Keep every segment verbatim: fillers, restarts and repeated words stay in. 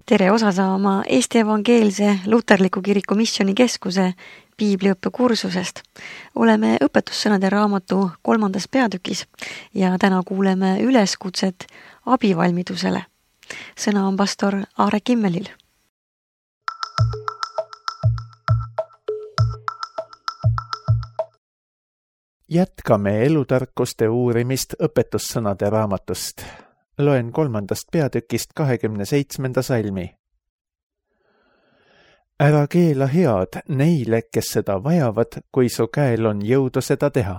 Tere osa saama Eesti Evangeelse Luterliku Kiriku Missioonikeskuse piibliõppe kursusest. Oleme õpetussõnade raamatu kolmandas peatükis ja täna kuuleme üleskutset abivalmidusele. Sõna on pastor Aare Kimmelil. Jätkame elutarkuste uurimist õpetussõnade raamatust. Loen kolmandast peatükist kahekümne seitsmenda salmi. Ära keela head neile, kes seda vajavad, kui su käel on jõudu seda teha.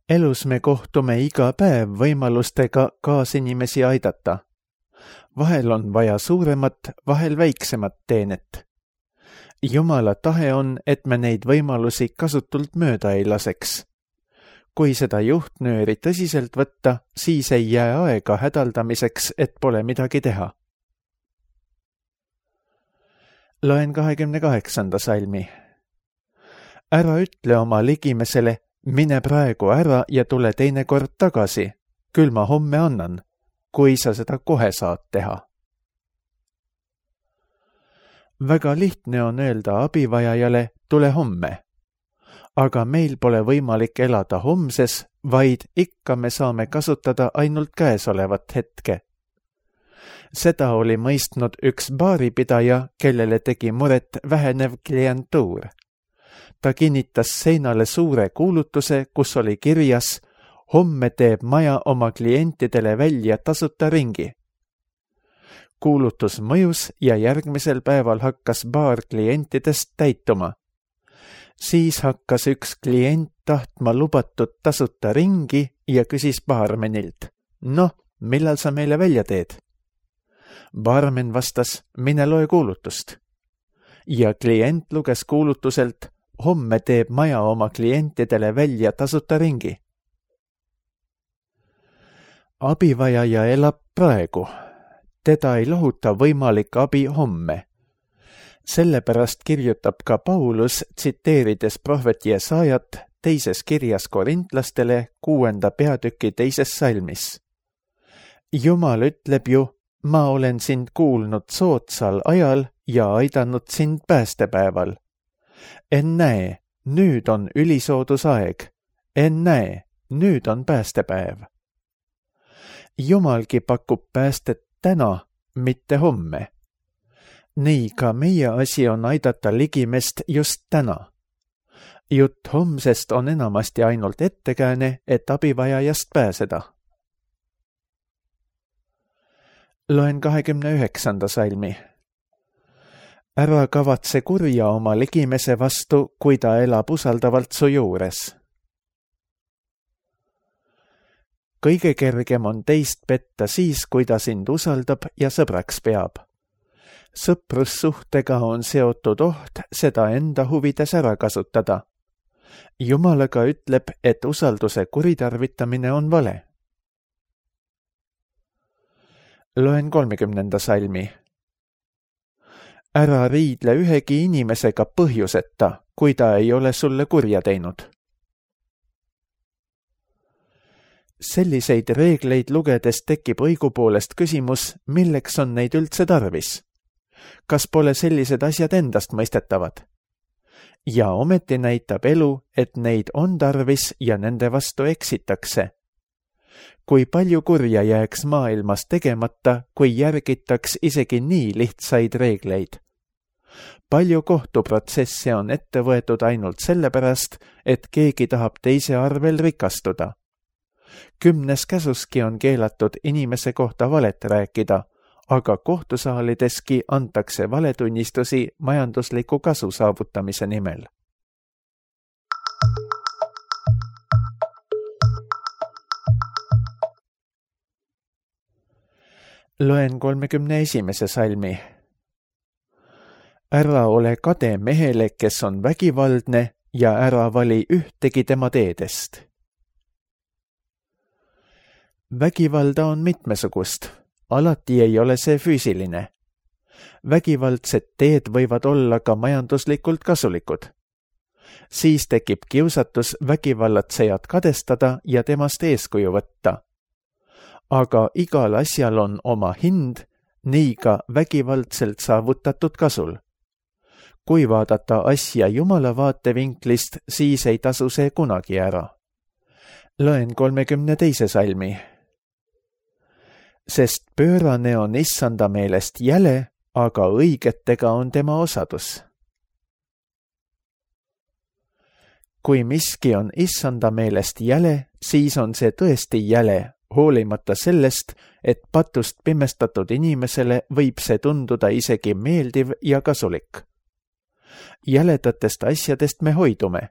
Elus me kohtume iga päev võimalustega kaasinimesi aidata. Vahel on vaja suuremat, vahel väiksemat teenet. Jumala tahe on, et me neid võimalusi kasutult mööda ei laseks. Kui seda juhtnööri tõsiselt võtta, siis ei jää aega hädaldamiseks, et pole midagi teha. Loen kahekümne kaheksanda salmi. Ära ütle oma ligimesele, mine praegu ära ja tule teine kord tagasi, küll ma homme annan, kui sa seda kohe saad teha. Väga lihtne on öelda abivajajale, tule homme. Aga meil pole võimalik elada homses, vaid ikka me saame kasutada ainult käesolevat hetke. Seda oli mõistnud üks baaripidaja, kellele tegi muret vähenev klientuur. Ta kinnitas seinale suure kuulutuse, kus oli kirjas, homme teeb maja oma klientidele välja tasuta ringi. Kuulutus mõjus ja järgmisel päeval hakkas baar klientidest täituma. Siis hakkas üks klient tahtma lubatud tasuta ringi ja küsis baarmenilt, noh, millal sa meile välja teed? Baarmen vastas, mine loe kuulutust. Ja klient luges kuulutuselt, homme teeb maja oma klientidele välja tasuta ringi. Abivajaja elab praegu. Teda ei lohuta võimalik abi homme. Sellepärast kirjutab ka Paulus, tsiteerides prohvet Jesaajat teises kirjas korintlastele kuuenda peatüki teises salmis. Jumal ütleb ju, ma olen sind kuulnud soodsal ajal ja aidanud sind päästepäeval. Ennäe, nüüd on ülisoodusaeg. Ennäe, nüüd on päästepäev. Jumalgi pakub päästet täna, mitte homme. Nii ka meie asi on aidata ligimest just täna. Jutt homsest on enamasti ainult ettekääne, et abivajajast pääseda. Loen kahekümne üheksanda salmi. Ära kavatse kurja oma ligimese vastu, kui ta elab usaldavalt su juures. Kõige kergem on teist petta siis, kui ta sind usaldab ja sõbraks peab. Sõprussuhtega on seotud oht seda enda huvides ära kasutada. Jumalaga ütleb, et usalduse kuritarvitamine on vale. Loen kolmekümnenda salmi. Ära riidle ühegi inimesega põhjuseta, kui ta ei ole sulle kurja teinud. Selliseid reegleid lugedes tekib õigupoolest küsimus, milleks on neid üldse tarvis. Kas pole sellised asjad endast mõistetavad? Ja ometi näitab elu, et neid on tarvis ja nende vastu eksitakse. Kui palju kurja jääks maailmas tegemata, kui järgitaks isegi nii lihtsaid reegleid? Palju kohtuprotsesse on ette võetud ainult sellepärast, et keegi tahab teise arvel rikastuda. Kümnes käsuski on keelatud inimese kohta valet rääkida, aga kohtusaalideski antakse valetunnistusi majandusliku kasu saavutamise nimel. Loen kolmekümne esimese salmi. Ära ole kade mehele, kes on vägivaldne, ja ära vali ühtegi tema teedest. Vägivalda on mitmesugust. Alati ei ole see füüsiline. Vägivaldsed teed võivad olla ka majanduslikult kasulikud. Siis tekib kiusatus vägivallatsejat kadestada ja temast eeskuju võtta. aga igal asjal on oma hind, nii ka vägivaldselt saavutatud kasul. Kui vaadata asja Jumala vaatevinklist, siis ei tasu see kunagi ära. Loen kolmekümne teise salmi. Sest pöörane on issanda meelest jäle, aga õigetega on tema osadus. Kui miski on issanda meelest jäle, siis on see tõesti jäle, hoolimata sellest, et patust pimestatud inimesele võib see tunduda isegi meeldiv ja kasulik. Jäledatest asjadest me hoidume.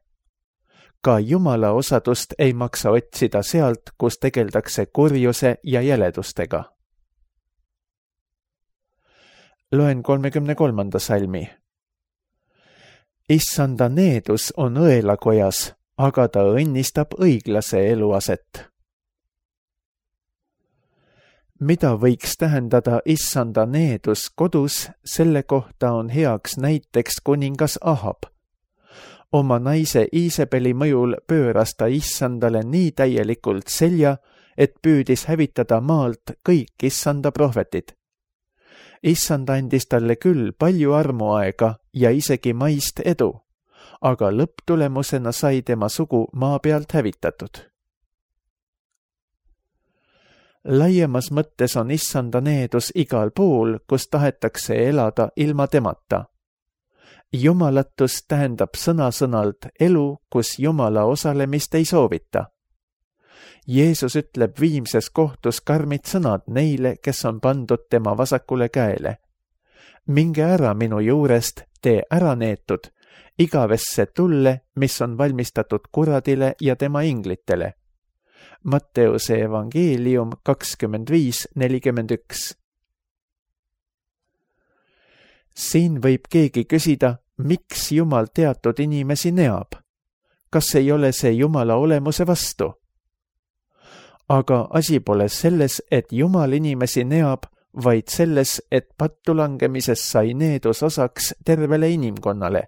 Ka Jumala osadust ei maksa otsida sealt, kus tegeldakse kurjuse ja jäledustega. Loen kolmekümne kolmanda salmi. Issanda needus on õelakojas, aga ta õnnistab õiglase eluaset. Mida võiks tähendada issanda needus kodus, selle kohta on heaks näiteks kuningas Ahab. Oma naise Iisebeli mõjul pööras ta issandale nii täielikult selja, et püüdis hävitada maalt kõik issanda prohvetid. Issand andis talle küll palju armuaega ja isegi maist edu, aga lõpptulemusena sai tema sugu maa pealt hävitatud. Laiemas mõttes on issanda needus igal pool, kus tahetakse elada ilma temata. Jumalatus tähendab sõna-sõnalt elu, kus Jumala osalemist ei soovita. Jeesus ütleb viimses kohtus karmid sõnad neile, kes on pandud tema vasakule käele. Minge ära minu juurest, tee ära neetud, igavesse tulle, mis on valmistatud kuradile ja tema inglitele. Matteuse evangeelium kakskümmend viis nelikümmend üks. Siin võib keegi küsida, miks Jumal teatud inimesi neab? Kas ei ole see Jumala olemuse vastu? Aga asi pole selles, et Jumal inimesi neab, vaid selles, et pattu langemises sai needus osaks tervele inimkonnale.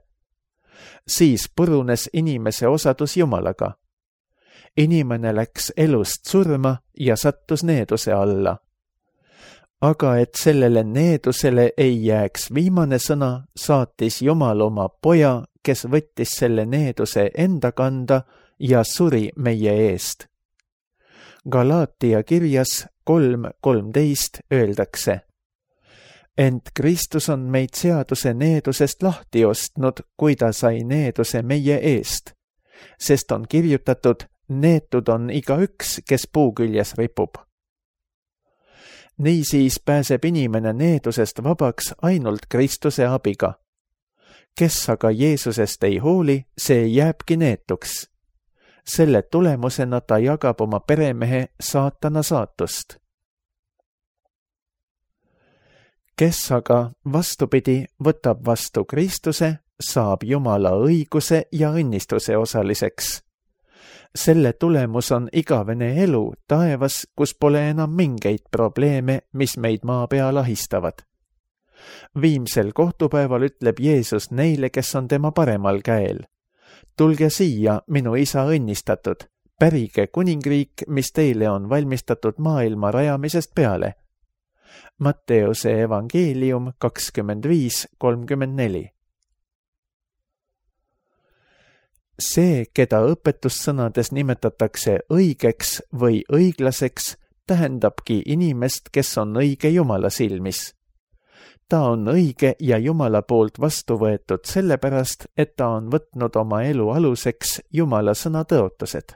Siis purunes inimese osadus Jumalaga. Inimene läks elust surma ja sattus needuse alla. Aga et sellele needusele ei jääks viimane sõna, saatis Jumal oma poja, kes võttis selle needuse enda kanda ja suri meie eest. Galaatia kirjas kolm kolmteist öeldakse. Ent Kristus on meid seaduse needusest lahti ostnud, kui ta sai needuse meie eest, sest on kirjutatud, neetud on igaüks, kes puu küljes ripub. Niisiis pääseb inimene needusest vabaks ainult Kristuse abiga. Kes aga Jeesusest ei hooli, see jääbki neetuks. Selle tulemusena ta jagab oma peremehe saatana saatust. Kes aga vastupidi võtab vastu Kristuse, saab Jumala õiguse ja õnnistuse osaliseks. Selle tulemus on igavene elu taevas, kus pole enam mingeid probleeme, mis meid maa peal ahistavad. Viimsel kohtupäeval ütleb Jeesus neile, kes on tema paremal käel. Tulge siia, minu isa õnnistatud, pärige kuningriik, mis teile on valmistatud maailma rajamisest peale. Matteuse evangeelium kakskümmend viis kolmkümmend neli. See, keda õpetussõnades nimetatakse õigeks või õiglaseks, tähendabki inimest, kes on õige Jumala silmis. Ta on õige ja Jumala poolt vastu võetud sellepärast, et ta on võtnud oma elu aluseks Jumala sõna tõotused.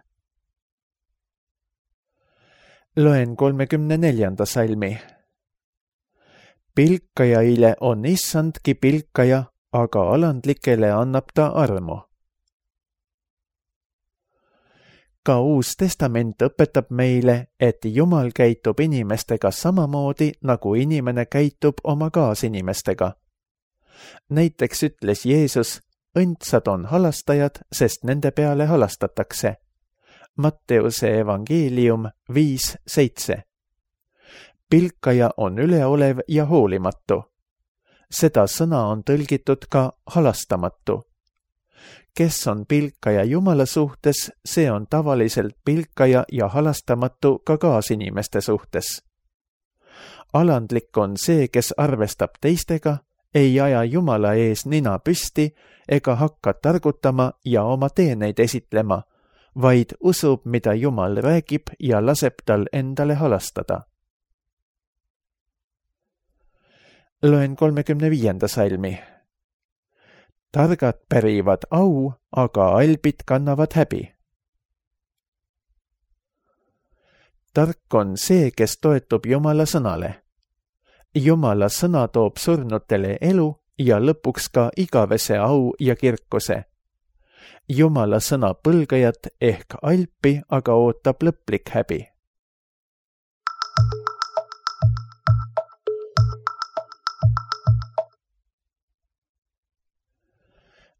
Loen kolmekümne neljanda salmi. Pilkajaile on issandki pilkaja, aga alandlikele annab ta armu. Ka Uus Testament õpetab meile, et Jumal käitub inimestega samamoodi, nagu inimene käitub oma kaasinimestega. Näiteks ütles Jeesus, õndsad on halastajad, sest nende peale halastatakse. Matteuse evangeelium viis seitse. Pilkaja on üleolev ja hoolimatu. Seda sõna on tõlgitud ka halastamatu. kes on pilkaja Jumala suhtes, see on tavaliselt pilkaja ja halastamatu ka kaasinimeste suhtes. Alandlik on see, kes arvestab teistega, ei aja Jumala ees nina püsti ega hakka targutama ja oma teeneid esitlema, vaid usub, mida Jumal räägib ja laseb tal endale halastada. Loen kolmekümne viienda salmi. Targad pärivad au, aga albid kannavad häbi. Tark on see, kes toetub Jumala sõnale. Jumala sõna toob surnutele elu ja lõpuks ka igavese au ja kirkuse. Jumala sõna põlgajat ehk alpi aga ootab lõplik häbi.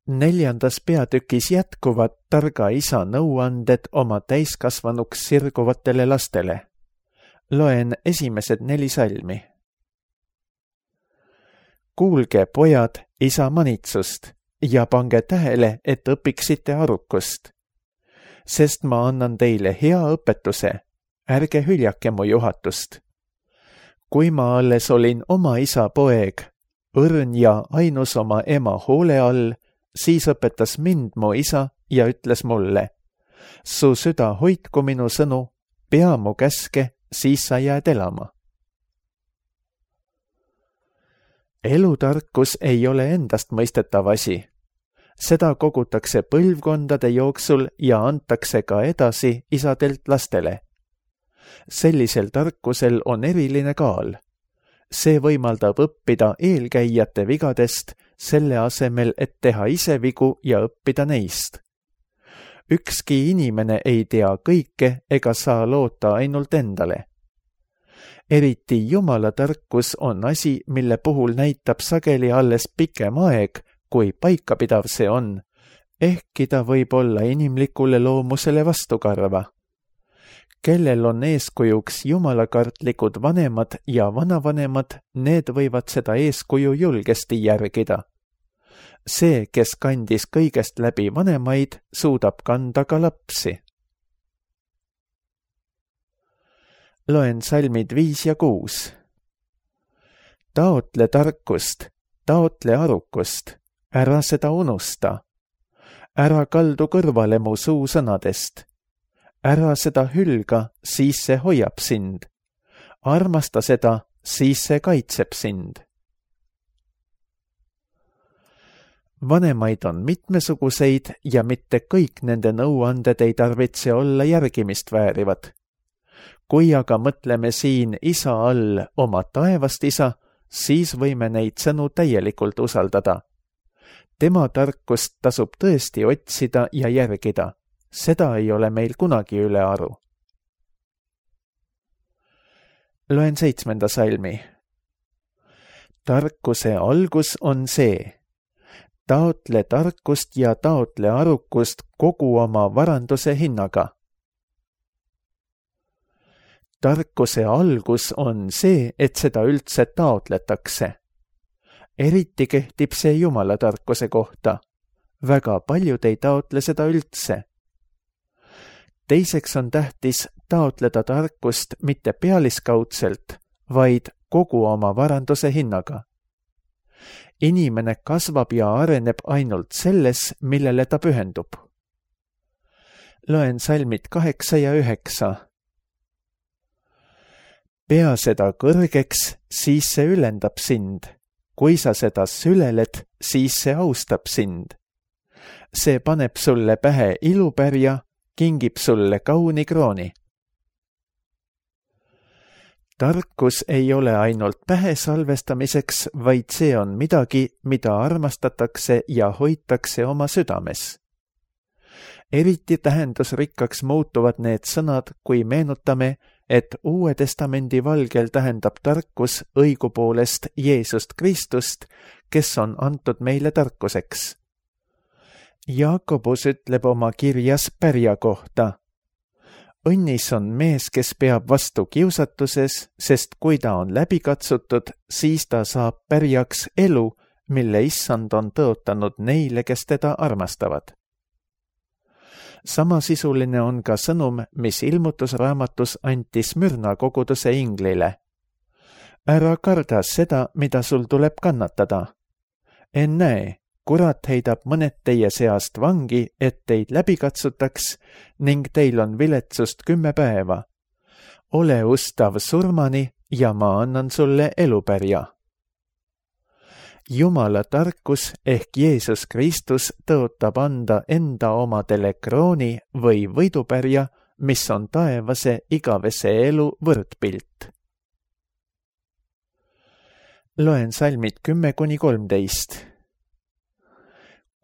Neljandas peatükis jätkuvad targa isa nõuanded oma täiskasvanuks sirguvatele lastele. Loen esimesed neli salmi. Kuulge, pojad, isa manitsust ja pange tähele, et õpiksite arukust. Sest ma annan teile hea õpetuse, ärge hüljake mu juhatust. Kui ma alles olin oma isa poeg, õrn ja ainus oma ema hoole all, siis õpetas mind mu isa ja ütles mulle, su süda hoidku minu sõnu, pea mu käske, siis sa jääd elama. Elutarkus ei ole endast mõistetav asi. Seda kogutakse põlvkondade jooksul ja antakse ka edasi isadelt lastele. Sellisel tarkusel on eriline kaal. See võimaldab õppida eelkäijate vigadest, selle asemel, et teha ise vigu ja õppida neist. Ükski inimene ei tea kõike ega saa loota ainult endale. Eriti Jumala tarkus on asi, mille puhul näitab sageli alles pikem aeg, kui paikapidav see on, ehkki ta võib olla inimlikule loomusele vastukarva. Kellel on eeskujuks jumalakartlikud vanemad ja vanavanemad, need võivad seda eeskuju julgesti järgida. See, kes kandis kõigest läbi vanemaid, suudab kanda ka lapsi. Loen salmid viis ja kuus. Taotle tarkust, taotle arukust, ära seda unusta. Ära kaldu kõrvale mu suusõnadest. Ära seda hülga, siis see hoiab sind. Armasta seda, siis see kaitseb sind. Vanemaid on mitmesuguseid ja mitte kõik nende nõuanded ei tarvitse olla järgimist väärivad. Kui aga mõtleme siin isa all oma taevast isa, siis võime neid sõnu täielikult usaldada. Tema tarkust tasub tõesti otsida ja järgida. Seda ei ole meil kunagi üle aru. Loen seitsmenda salmi. Tarkuse algus on see. Taotle tarkust ja taotle arukust kogu oma varanduse hinnaga. Tarkuse algus on see, et seda üldse taotletakse. Eriti kehtib see Jumala tarkuse kohta. Väga paljud ei taotle seda üldse. Teiseks on tähtis taotleda tarkust mitte pealiskaudselt, vaid kogu oma varanduse hinnaga. Inimene kasvab ja areneb ainult selles, millele ta pühendub. Loen salmid kaheksa ja üheksa. Pea seda kõrgeks, siis see ülendab sind. Kui sa seda süleled, siis see austab sind. See paneb sulle pähe ilupärja, kingib sulle kauni krooni. Tarkus ei ole ainult pähe salvestamiseks, vaid see on midagi, mida armastatakse ja hoitakse oma südames. Eriti tähendusrikkaks muutuvad need sõnad, kui meenutame, et Uue Testamendi valgel tähendab tarkus õigupoolest Jeesust Kristust, kes on antud meile tarkuseks. Jaakobus ütleb oma kirjas pärja kohta. Õnnis on mees, kes peab vastu kiusatuses, sest kui ta on läbi katsutud, siis ta saab pärjaks elu, mille issand on tõotanud neile, kes teda armastavad. Samasisuline on ka sõnum, mis ilmutusraamatus anti Smyrna koguduse inglile. Ära karda seda, mida sul tuleb kannatada. Ennäe, kurat heidab mõned teie seast vangi, et teid läbi katsutaks ning teil on viletsust kümme päeva. Ole ustav surmani ja ma annan sulle elupärja. Jumala tarkus ehk Jeesus Kristus tõotab anda enda omadele krooni või võidupärja, mis on taevase igavese elu võrdpilt. Loen salmid kümme kuni kolmteist.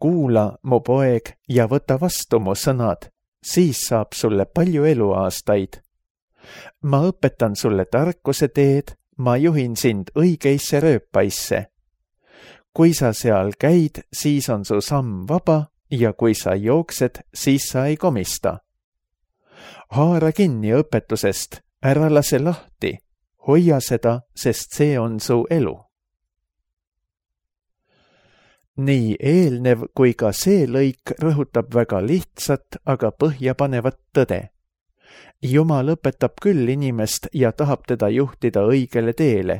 Kuula, mu poeg, ja võta vastu mu sõnad, siis saab sulle palju eluaastaid. Ma õpetan sulle tarkuse teed, ma juhin sind õigeisse rööpaisse. Kui sa seal käid, siis on su samm vaba ja kui sa jooksed, siis sa ei komista. Haara kinni õpetusest, ära lase lahti, hoia seda, sest see on su elu. Nii eelnev kui ka see lõik rõhutab väga lihtsat, aga põhjapanevat tõde. Jumal õpetab küll inimest ja tahab teda juhtida õigele teele,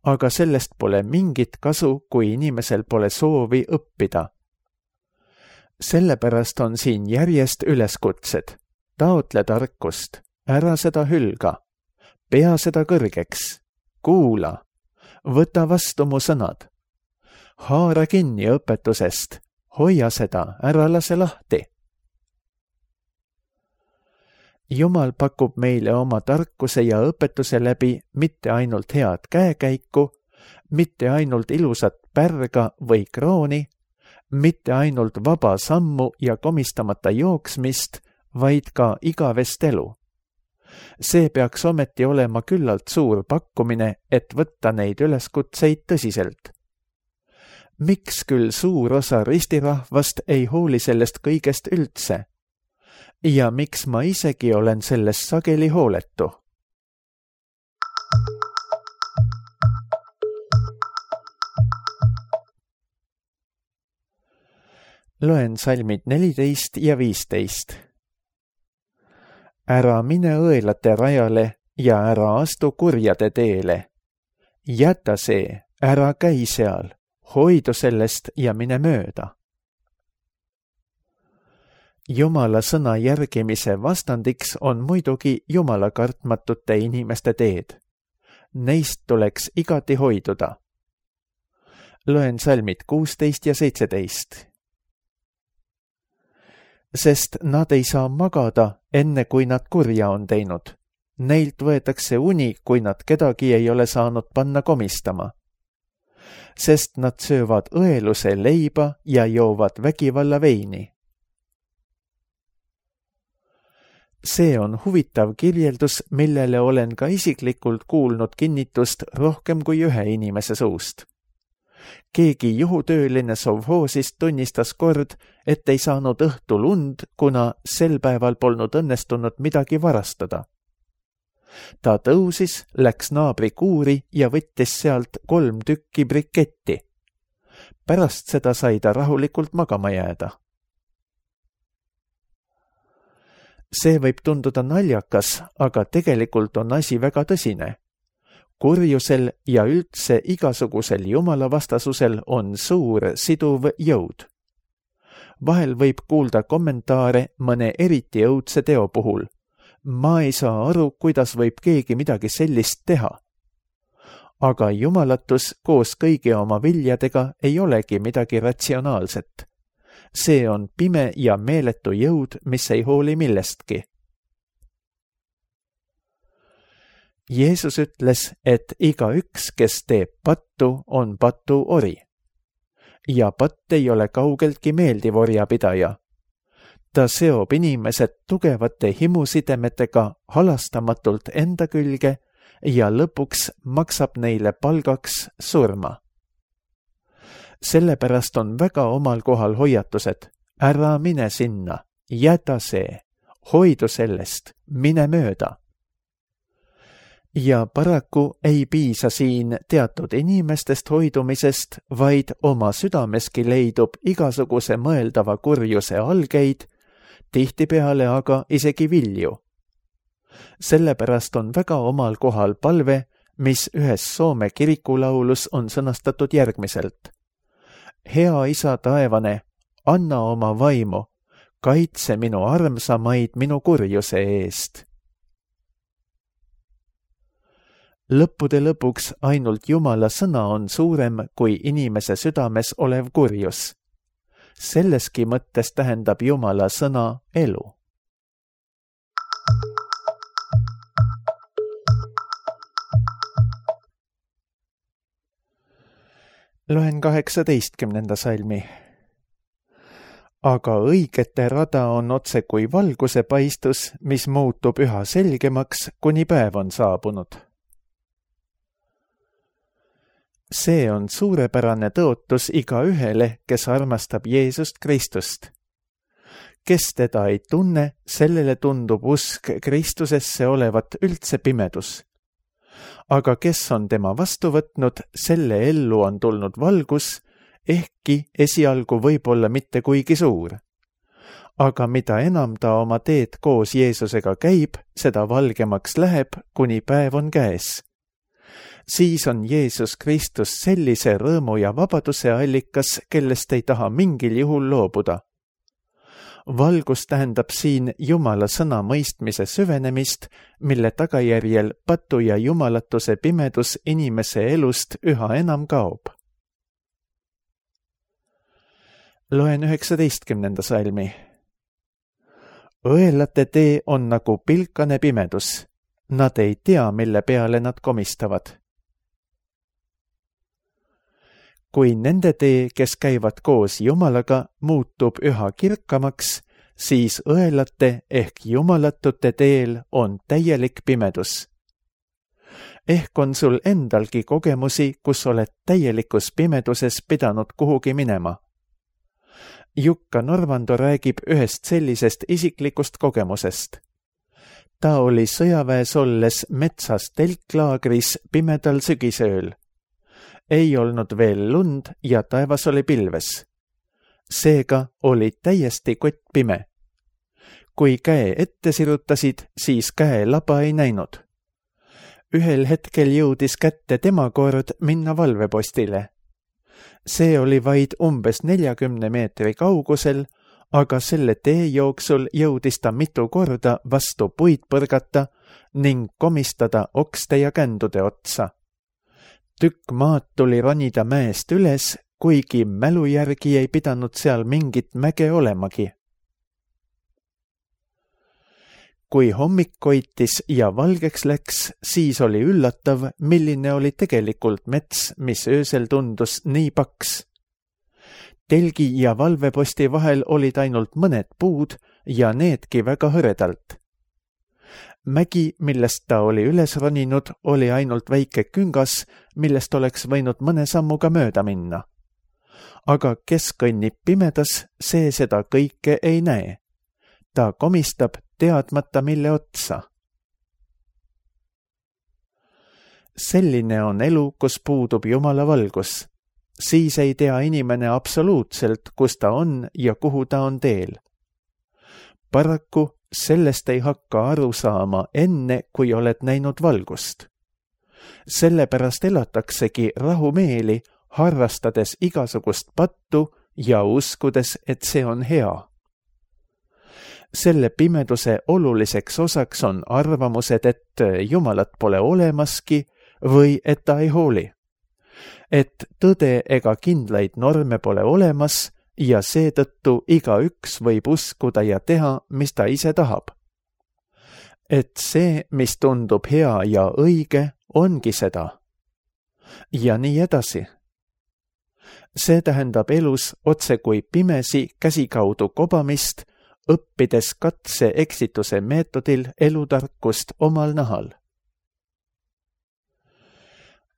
aga sellest pole mingit kasu, kui inimesel pole soovi õppida. Sellepärast on siin järjest üleskutsed. Taotle tarkust, ära seda hülga, pea seda kõrgeks, kuula, võta vastu mu sõnad. Haara kinni õpetusest, hoia seda, ära lase lahti. Jumal pakub meile oma tarkuse ja õpetuse läbi mitte ainult head käekäiku, mitte ainult ilusat pärga või krooni, mitte ainult vaba sammu ja komistamata jooksmist, vaid ka igavest elu. See peaks ometi olema küllalt suur pakkumine, et võtta neid üleskutseid tõsiselt. Miks küll suur osa ristirahvast ei hooli sellest kõigest üldse? Ja miks ma isegi olen sellest sageli hooletu? Loen salmid neliteist ja viisteist. Ära mine õelate rajale ja ära astu kurjade teele. Jäta see, ära käi seal, hoidu sellest ja mine mööda. Jumala sõna järgimise vastandiks on muidugi Jumala kartmatute inimeste teed. Neist tuleks igati hoiduda. Loen salmid kuusteist ja seitseteist. Sest nad ei saa magada, enne kui nad kurja on teinud. Neilt võetakse uni, kui nad kedagi ei ole saanud panna komistama. Sest nad söövad õeluse leiba ja joovad vägivalla veini. See on huvitav kirjeldus, millele olen ka isiklikult kuulnud kinnitust rohkem kui ühe inimese suust. Keegi juhutööline sovhoosist tunnistas kord, et ei saanud õhtul und, kuna sel päeval polnud õnnestunud midagi varastada. Ta tõusis, läks naabri kuuri ja võttis sealt kolm tükki briketti. Pärast seda sai ta rahulikult magama jääda. See võib tunduda naljakas, aga tegelikult on asi väga tõsine. Kurjusel ja üldse igasugusel jumalavastasusel on suur siduv jõud. Vahel võib kuulda kommentaare mõne eriti õudse teo puhul. Ma ei saa aru, kuidas võib keegi midagi sellist teha. Aga jumalatus koos kõigi oma viljadega ei olegi midagi ratsionaalset. See on pime ja meeletu jõud, mis ei hooli millestki. Jeesus ütles, et igaüks, kes teeb pattu, on patu ori. Ja patt ei ole kaugeltki meeldiv orjapidaja. Ta seob inimesed tugevate himusidemetega halastamatult enda külge ja lõpuks maksab neile palgaks surma. Sellepärast on väga omal kohal hoiatused. Ära mine sinna, jäta see, hoidu sellest, mine mööda. Ja paraku ei piisa siin teatud inimestest hoidumisest, vaid oma südameski leidub igasuguse mõeldava kurjuse algeid, tihtipeale aga isegi vilju. Sellepärast on väga omal kohal palve, mis ühes Soome kirikulaulus on sõnastatud järgmiselt. Hea Isa taevane, anna oma vaimu, kaitse minu armsamaid minu kurjuse eest. Lõppude lõpuks ainult Jumala sõna on suurem kui inimese südames olev kurjus. Selleski mõttes tähendab Jumala sõna elu. Loen kaheksateistkümnenda salmi. Aga õigete rada on otse kui valguse paistus, mis muutub üha selgemaks, kuni päev on saabunud. See on suurepärane tõotus igaühele, kes armastab Jeesust Kristust. Kes teda ei tunne, sellele tundub usk Kristusesse olevat üldse pimedus. Aga kes on tema vastu võtnud, selle ellu on tulnud valgus, ehkki esialgu võib-olla mitte kuigi suur. Aga mida enam ta oma teed koos Jeesusega käib, seda valgemaks läheb, kuni päev on käes. Siis on Jeesus Kristus sellise rõõmu ja vabaduse allikas, kellest ei taha mingil juhul loobuda. Valgus tähendab siin Jumala sõna mõistmise süvenemist, mille tagajärjel patu ja jumalatuse pimedus inimese elust üha enam kaob. Loen üheksateistkümnenda salmi. Õelate tee on nagu pilkane pimedus. Nad ei tea, mille peale nad komistavad. Kui nende tee, kes käivad koos Jumalaga, muutub üha kirkamaks, siis õelate ehk jumalatute teel on täielik pimedus. Ehk on sul endalgi kogemusi, kus oled täielikus pimeduses pidanud kuhugi minema. Jukka Norvando räägib ühest sellisest isiklikust kogemusest. Ta oli sõjaväes olles metsas telklaagris pimedal sügisööl. Ei olnud veel lund ja taevas oli pilves. Seega oli täiesti kott pime. Kui käe ette sirutasid, siis käe laba ei näinud. Ühel hetkel jõudis kätte tema kord minna valvepostile. See oli vaid umbes neljakümne meetri kaugusel, aga selle tee jooksul jõudis ta mitu korda vastu puid põrgata ning komistada okste ja kändude otsa. Tükk maad tuli ronida mäest üles, kuigi mälu järgi ei pidanud seal mingit mäge olemagi. Kui hommik koitis ja valgeks läks, siis oli üllatav, milline oli tegelikult mets, mis öösel tundus nii paks. Telgi ja valveposti vahel olid ainult mõned puud ja needki väga hõredalt. Mägi, millest ta oli üles roninud, oli ainult väike küngas, millest oleks võinud mõne sammuga mööda minna. Aga kes kõnnib pimedas, see seda kõike ei näe. Ta komistab teadmata mille otsa. Selline on elu, kus puudub Jumala valgus. Siis ei tea inimene absoluutselt, kus ta on ja kuhu ta on teel. Paraku sellest ei hakka aru saama enne, kui oled näinud valgust. Sellepärast elataksegi rahumeeli, harrastades igasugust pattu ja uskudes, et see on hea. Selle pimeduse oluliseks osaks on arvamused, et Jumalat pole olemaski või et ta ei hooli. Et tõde ega kindlaid norme pole olemas ja seetõttu igaüks võib uskuda ja teha, mis ta ise tahab. Et see, mis tundub hea ja õige, ongi seda. Ja nii edasi. See tähendab elus otse kui pimesi käsikaudu kobamist, õppides katse eksituse meetodil elutarkust omal nahal.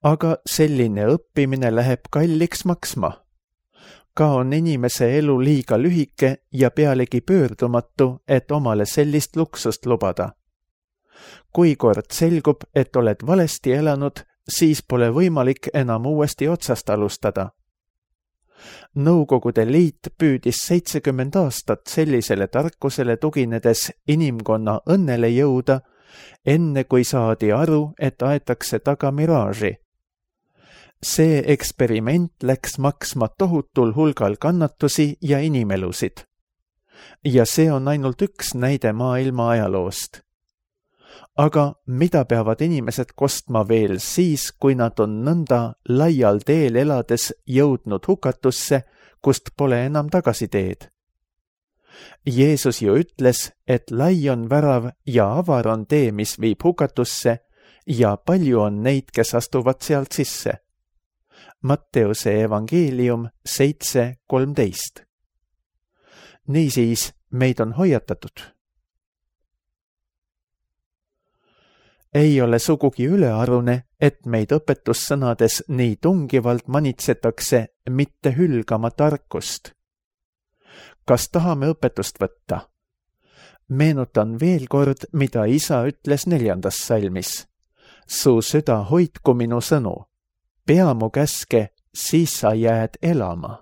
Aga selline õppimine läheb kalliks maksma. Ka on inimese elu liiga lühike ja pealegi pöördumatu, et omale sellist luksust lubada. Kui kord selgub, et oled valesti elanud, siis pole võimalik enam uuesti otsast alustada. Nõukogude Liit püüdis seitsekümmend aastat sellisele tarkusele tuginedes inimkonna õnnele jõuda, enne kui saadi aru, et aetakse taga miraaži. See eksperiment läks maksma tohutul hulgal kannatusi ja inimelusid. Ja see on ainult üks näide maailma ajaloost. Aga mida peavad inimesed kostma veel siis, kui nad on nõnda laial teel elades jõudnud hukatusse, kust pole enam tagasiteed? Jeesus ju ütles, et lai on värav ja avar on tee, mis viib hukatusse, ja palju on neid, kes astuvad sealt sisse. Matteuse evangeelium seitse kolmteist. Niisiis, meid on hoiatatud. Ei ole sugugi ülearune, et meid õpetussõnades nii tungivalt manitsetakse mitte hülgama tarkust. Kas tahame õpetust võtta? Meenutan veel kord, mida isa ütles neljandas salmis. Su süda hoidku minu sõnu. Pea mu käske, siis sa jääd elama.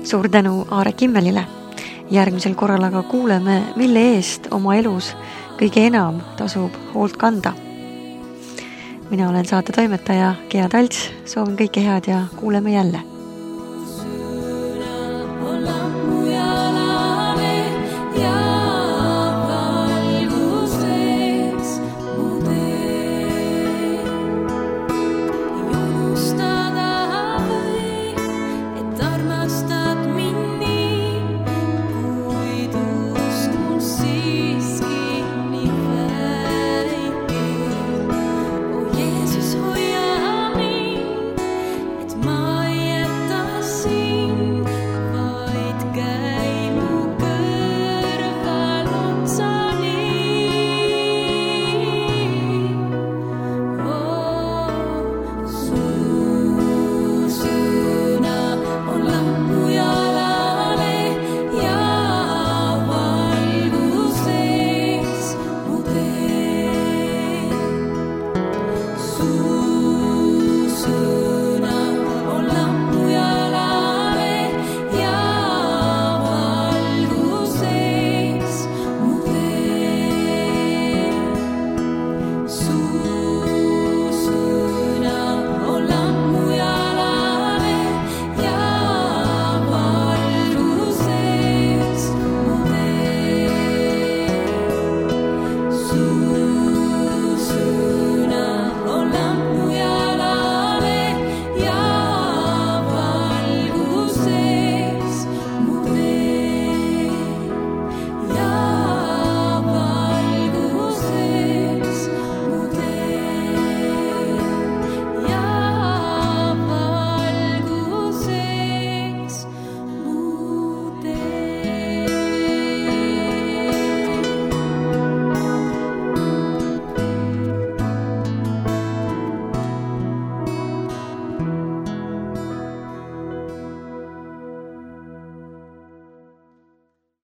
Suur tänu Aare Kimmelile. Järgmisel korral aga kuuleme, mille eest oma elus kõige enam tasub hoolt kanda. Mina olen saate toimetaja Gea Talts, soovin kõike head ja kuuleme jälle.